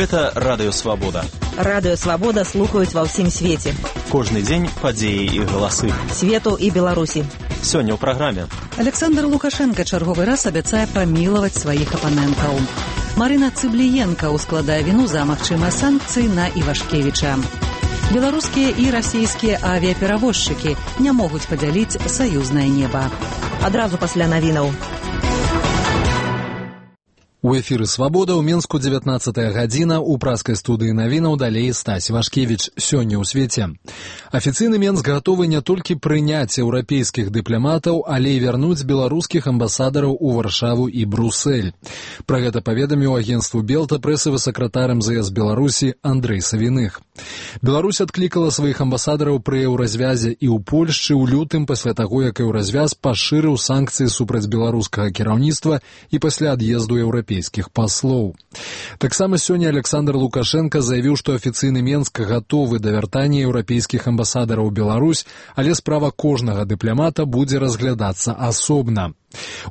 Гэта Радыё Свабода. Радыё Свабода слухаюць ва ўсім свеце. Кожны дзень падзеі і галасы. Свету і Беларусі. Сёння ў праграме. Александр Лукашенко чарговы раз абяцае памілаваць сваіх апанентаў. Марына Цыбліенка ускладае віну за магчымыя санкцыі на Івашкевіча. Беларускія і расійскія авіаперавозчыкі не могуць падзяліць саюзнае неба. Адразу пасля навінаў. У эфіры «Свабода» ў Мінску 19 гадзіна, у праскай студыі навінаў далей Стась Івашкевіч. Сёння ў свеце. Афіцыйны Мінск гатовы не толькі прыняць еўрапейскіх дыпламатаў, але і вярнуць беларускіх амбасадараў у Варшаву і Брусэль. Пра гэта паведаміў агенцтву Белта прэсавы сакратар МЗС Беларусі Андрэй Савіных. Беларусь адклікала сваіх амбасадараў пры еўразвязе і ў Польшчы ў лютым пасля таго, як еўразвяз пашырыў санкцыі супраць беларускага кіраўніцтва і пасля ад'езду еўрапейскіх паслоў. Таксама сёння Александр Лукашенко заявіў, што афіцыйны Мінск гатовы да вяртання еўрапейскіх амбасадараў у Беларусь, але справа кожнага дыпламата будзе разглядацца асобна.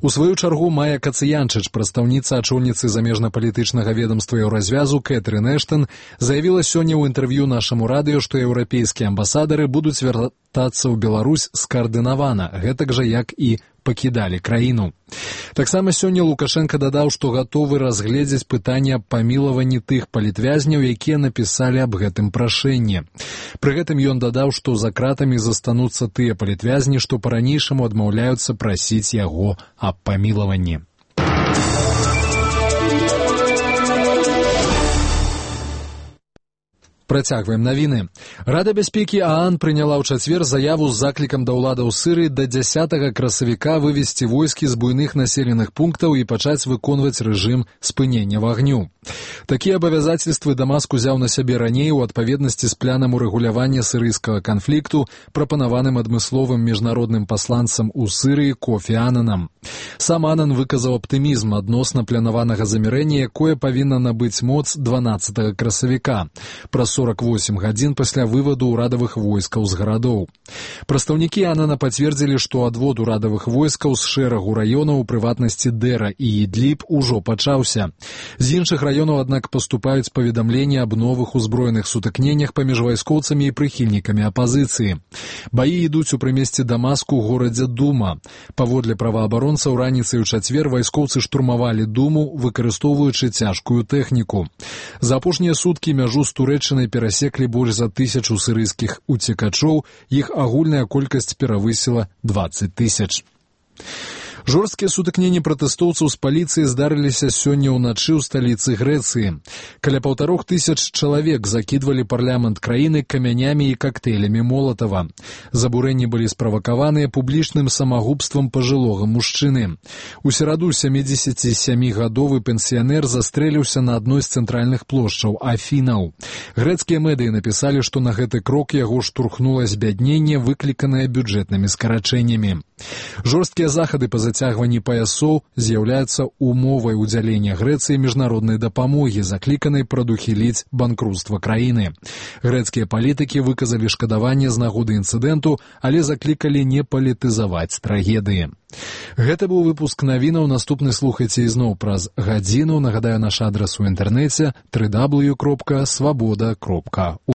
У сваю чаргу Майя Кацыянчыч, прадстаўніца ачоўніцы замежна-палітычнага ведамства еўразвязу Кэтрын Эштон, заявіла сёння ў інтэрв'ю нашаму радыё, што еўрапейскія амбасадары будуць вяртацца ў Беларусь скаардынавана, гэтак жа як і пакідалі краіну. Таксама сёння Лукашенко дадаў, што гатовы разгледзець пытанне аб памілаванні тых палітвязняў, якія напісалі аб гэтым прашэнні. Пры гэтым ён дадаў, што за кратамі застануцца тыя палітвязні, што па-ранейшаму адмаўляюцца прасіць яго аб памілаванні. Працягваем навіны. Рада бяспекі ААН прыняла ў чацвер заяву з заклікам да ўладаў Сырыі да 10 красавіка вывесці войскі з буйных населеных пунктаў і пачаць выконваць рэжым спынення вагню. Такія абавязацельствы Дамаск узяў на сябе раней у адпаведнасці з планам урэгулявання сірыйскага канфлікту, прапанаваным адмысловым міжнародным пасланцам у Сырыі Кофі Ананам. Сам Анан выказаў аптымізм адносна планаванага замірэння, якое павінна набыць моц 12 красавіка, праз 48 гадзін пасля вываду ўрадавых войскаў з гарадоў. Прадстаўнікі Анана пацвердзілі, што адвод урадавых войскаў з шэрагу раёнаў, у прыватнасці Дэра і Ідліб, ужо пачаўся. З іншых раёнаў, аднак, паступаюць паведамленні аб новых узброеных сутыкненнях паміж вайскоўцамі і прыхільнікамі апазіцыі. Баі ідуць у прымесці Дамаску ў горадзе Дума. Паводле праваабаронцаў, раніцай у чацвер вайскоўцы штурмавалі Думу, выкарыстоўваючы цяжкую тэхніку. За апошнія суткі мяжу з Турэччынай перасеклі больш за 1000 сірыйскіх уцекачоў, іх агульная колькасць перавысіла 20 000. Жорсткія сутыкненні пратэстоўцаў з паліцыяй здарыліся сёння ўначы ў сталіцы Грэцыі. Каля 1500 чалавек закідвалі парламент краіны камянямі і кактэйлямі Молатава. Забурэнні былі справакаваныя публічным самагубствам пажылога мужчыны. У сераду 77-гадовы пенсіянер застрэліўся на адной з цэнтральных плошчаў Афінаў. Грэцкія медыі напісалі, што на гэты крок яго штурхнула збядненне, выкліканае бюджэтнымі скарачэннямі. Жорсткія захады па зацягванні паясоў з'яўляюцца умовай удзялення Грэцыі міжнароднай дапамогі, закліканай прадухіліць банкруцтва краіны. Грэцкія палітыкі выказалі шкадаванне з нагоды інцыдэнту, але заклікалі не палітызаваць трагедыі. Гэта быў выпуск навінаў, наступны слухайце ізноў праз гадзіну. Нагадаю, наш адрас у інтэрнэце www.swaboda.org.